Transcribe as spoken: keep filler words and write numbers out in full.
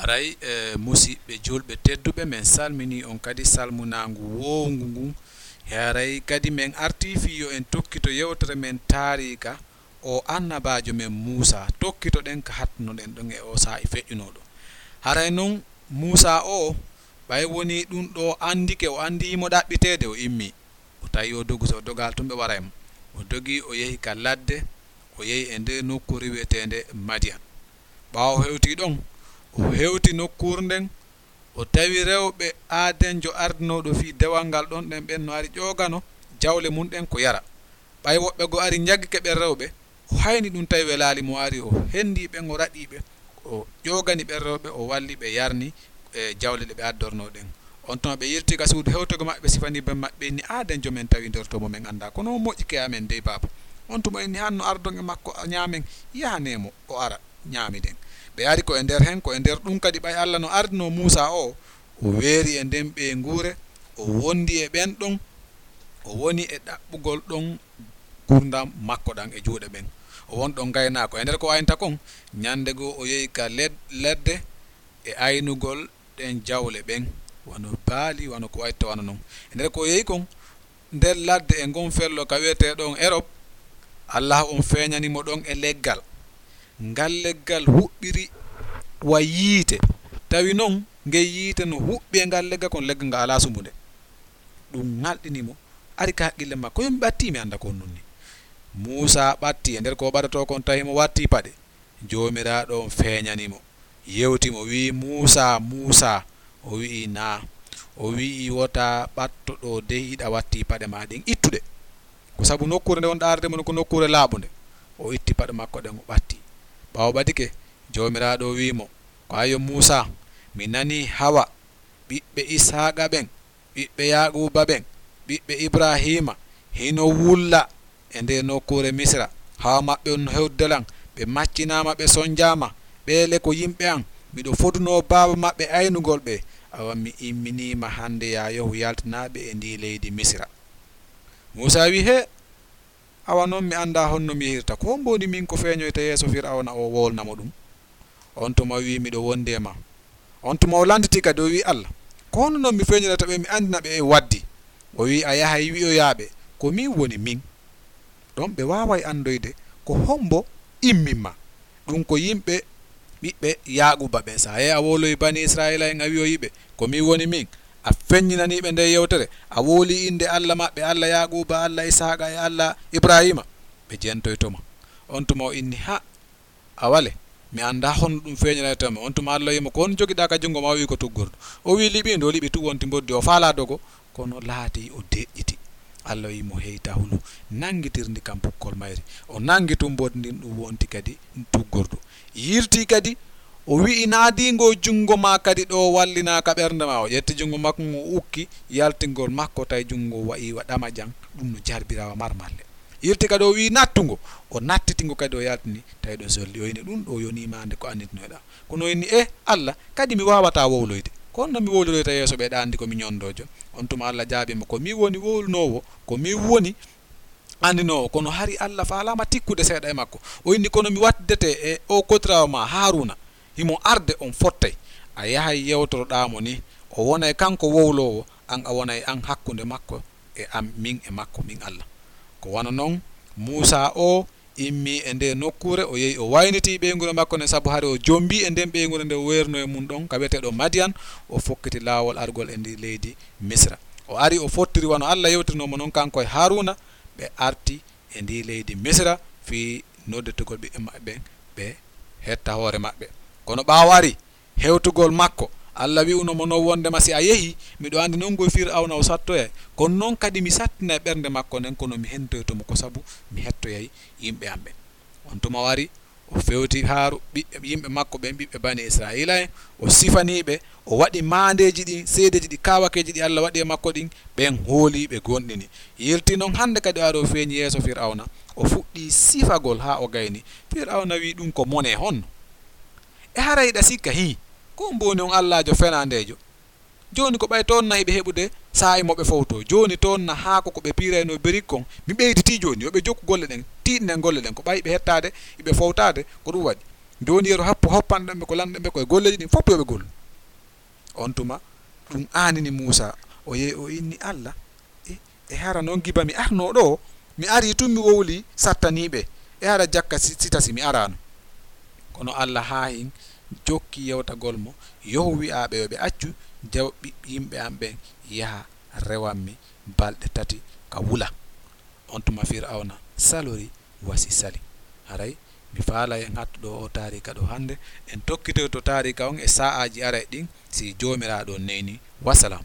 Aray, e, musiɓɓe julɓe tedduɓe, men salminii on kadi salmunaangu woowngu ngun. E aray kadi men artii fii yo en tokkito yewtere men taariika o annabaajo men Muusaa. Tokkitoɗen ka hattunoɗen ɗon e oo saa'i feƴƴunooɗo. Haray non Muusaa oo, ɓay wonii ɗun ɗoo anndike, o anndii himo ɗaɓɓiteede, o immii. O tawi o dogu, so o dogaali tun ɓe waray mo. O dogi, o yehi ka ladde, o yehi e nder nokkuure wi'eteende Madiyan. Ɓaawo o hewtii ɗon, o hewti nokkuure nden, o tawi rewɓe aadenjo ardinooɗo fii dewal ngal ɗon ɗen, ɓen no ari ƴoogano jawle mun ɗen ko yara. Ɓay woɓɓe goo ari njaggike ɓen rewɓe, o hayni ɗun tawi welaali mo, ari o hendii ɓen, o raɗii ɓe, o ƴoogani ɓen rewɓe, o walli ɓe yarni e jawle ɗe ɓe addornoo ɗen. On tuma ɓe yilti ka suudu hewtogo maɓɓe, ɓe sifanii ben maɓɓe, inni, "Aadenjo men tawi nder ton mo men anndaa, kono o moƴƴike e amen dey, baaba." On tuma inni, "Hanno ardon e makko, ɲaamen, yahanee mo, o ara, ɲaamiden." Ɓe ari ko e nder hen, ko e nder ɗun kadi ɓay Alla no ardinoo Muusaa oo, o weeri e nden ɓeynguure, o wondi e ɓen ɗon, o woni e ɗaɓɓugol ɗon ngurndan makko ɗan e juuɗe ɓen. O woni ɗon gaynaako. E nder ko o aynata kon, ɲande goo o yehi ka led-, ladde e aynugol ɗen jawle ɓen, wano baali, wano ko wayi to wano non. E nder ko o yehi kon, nder ladde e ngon fello ka wi'etee ɗon Erop, Allaahu on feeɲani mo ɗon e leggal. Ngal leggal huɓɓiri wa yiite. Tawi non ngel yiite no huɓɓi e ngal leggal, kono leggal ngal alaa sumbunde. Ɗun ŋalɗini mo, ari ka haqqille makko, "Yo mi ɓattii, mi annda ko honɗun nii." Muusaa ɓattii, e nder ko o ɓatotoo kon tawi mo wattii paɗe. Joomiraaɗo on feeɲani mo, yewti mo, wi'i, "Muusaa, Muusaa." O wi'i, "Naa." O wi'i, "Wota ɓatto ɗoo dey, hiɗa wattii paɗe maa ɗen, ittu ɗe. Ko sabu nokkuure nde wonɗaa arde mo non ko nokkuure laaɓunde." O itti paɗe makko ɗen, o ɓatti. Ɓaawo ɓadike, Joomiraaɗo wi'i mo, "Ko ayo Muusaa, mi nanii hawa ɓiɓɓe Ishaaqa ɓen, ɓiɓɓe Yaaquuba ɓen, ɓiɓɓe Ibraahiima, hino wulla e ndee nokkuure Misira. Hawa maɓɓe on no hewtude lan, ɓe maccinaama, ɓe sonjaama. Ɓee le ko yimɓe an. Miɗo fodunoo baaba maɓɓe aynugol ɓe. Awa mi imminiima hande, yaa yahu yaltinaa ɓe e ndii leydi Misira." Muusaa wi'i, "Hee, awa non mi anndaa honno mi yehirta. Ko hombo woni min ko feeɲoyta yeeso Fir'awna o wowlana mo ɗun?" On tuma wi'i, "Miɗo wondi e maa." On tuma o lannditi kadi, o wi'i Alla, "Ko honno non mi feeɲorata ɓe, mi anndina ɓe e waddi?" O wi'i, "A yahay wi'oyaa ɓe, ko min woni min." Ɗon ɓe waaway anndoyde ko hombo immin maa. Ɗun ko yimɓe ɓiɓɓe Yaaquuba ɓen. Sa yahi a wowloyi banii Isra'iila'en, a wi'oyi ɓe, "Ko min woni min." A feɲɲinanii ɓe ndee yewtere, a wowlii innde Alla maɓɓe, Alla Yaaquuba, Alla Ishaaqa e Alla Ibraahiima, ɓe jentoyto ma. On tuma o inni, "Ha, a wale, mi anndaa honno ɗun feeɲorayta mo." On tuma Alla wi'i mo, "Ko honɗun jogiɗaa ka junngo maa?" O wi'i, "Ko tuggordu." O wi'i, "Liɓi ndu." O liɓi tuggordu, o faalaa dogo, kono laatii o deƴƴiti. Alla wi'i mo, "Hey, ta hulu, nanngitir ndi ka bukkol mayri." O nanngi tuggordu ndin, ɗun wonti kadi tuggordu. Yiltii kadi, o wi'i, "Naadii ngoo junngo maa kadi ɗoo, wallinaa ka ɓernde maa." O ƴetti junngo makko ngon, o ukki yaltingol makko, tawi junngo ngon wa'i wa ɗamajan, ɗun no jarbiraa wa marmalle. Yiltii kadi, o wi'i, "Nattu ngo." O nattiti ngo kadi, o yaltini, tawi ɗon solli. O inni, "Ɗun ɗoo yonii maa nde ko annditinoyɗaa." Kono o inni, "E Alla, kadi mi waawataa wowloyde. Ko honno mi wowliroyta yeeso ɓee, ɗaa anndi ko mi ɲonɗoojo?" On tuma Alla jaabii mo, "Ko min woni wowlunoowo, ko min woni anndinoowo." Kono hari Alla faalaama tikkude seeɗa e makko. O inni, "Kono mi wattidete e oo kodiraawo maa Haaruuna. Himo arde, on fottay. A yahay yewtoroɗaa mo nii. O wonay kanko wowloowo, an a wonay an hakkunde makko e am, min e makko, min Alla." Ko wano non Muusaa oo immii e ndee nokkuure, o yehi, o waynitii ɓeynguure makko nden, sabu hari o jombii e nden ɓeynguure nde o weerunoo e mun ɗon, ka wi'eteeɗo Madiyan, o fokkiti laawol argol e ndii leydi Misira. O ari, o fottiri wano Alla yewtirinoo mo non, kanko e Haaruuna, ɓe arti e ndii leydi Misira fii nodditugol ɓiɓɓe maɓɓe ɓen, ɓe hetta hoore maɓɓe. Kono ɓaawo ari, hewtugol makko, Alla wi'uno mo non wondema, "Si a yehii, miɗo anndi non ko Fir'awna o sattoyay, kono non kadi mi sattinay ɓernde makko nden, kono mi hentoyto mo ko sabu mi hettoyay yimɓe am ɓen." On tuma o ari, o fewti haaru ɓiɓɓe, yimɓe makko ɓen, ɓiɓɓe Banii Isra'iila'en, o sifanii ɓe, o waɗi maandeeji ɗin, seedeeji ɗi, kaawakeeji ɗi Alla waɗi e makko ɗin, ɓen hoolii, ɓe gomɗini. Yiltii non hande kadi o ari o feeɲi yeeso Fir'awna, o fuɗɗii sifagol haa o gayni. Fir'awna wi'i, "Ɗun ko mone honno? E haray hiɗa sikka, hii, ko on mboni on allaajo fenaandeejo? Jooni ko ɓay toon na hiɓe heɓude saa'i mo ɓe fowtoo. Jooni toon na haako ko ɓe piiraynoo berik kon, mi ɓeyditii jooni, yo ɓe jokku golle ɗen, tiiɗnen golle ɗen, ko ɓay ɓe hettaade, hiɓe fowtaade, ko ɗun waɗi." Jooni yeru happu hoppanɗen ɓe ko lanɗen ɓe ko e golleeji ɗin fof yo ɓe gollu. On tuma ɗum aanini Muusa, o yehi o inni Alla, e, e hara noon giba mi arnoo ɗo, mi arii tun mi wowlii sattanii ɓe, e hara jakka si, si tasi mi araano. Kono Alla haa hin jokki yewtagol mo, yohu wi'aa ɓe yo ɓe accu jaw ɓiɓɓe yimɓe am ɓen yaha rewan mi balɗe tati ka wula. On tuma Fir'awna salori wasi sali. Haray mi faalay en hattu ɗo o taarika ɗo hannde, en tokkitoyto taarika on e sa'aaji aray ɗin si Joomiraaɗo neyni. Wassalam.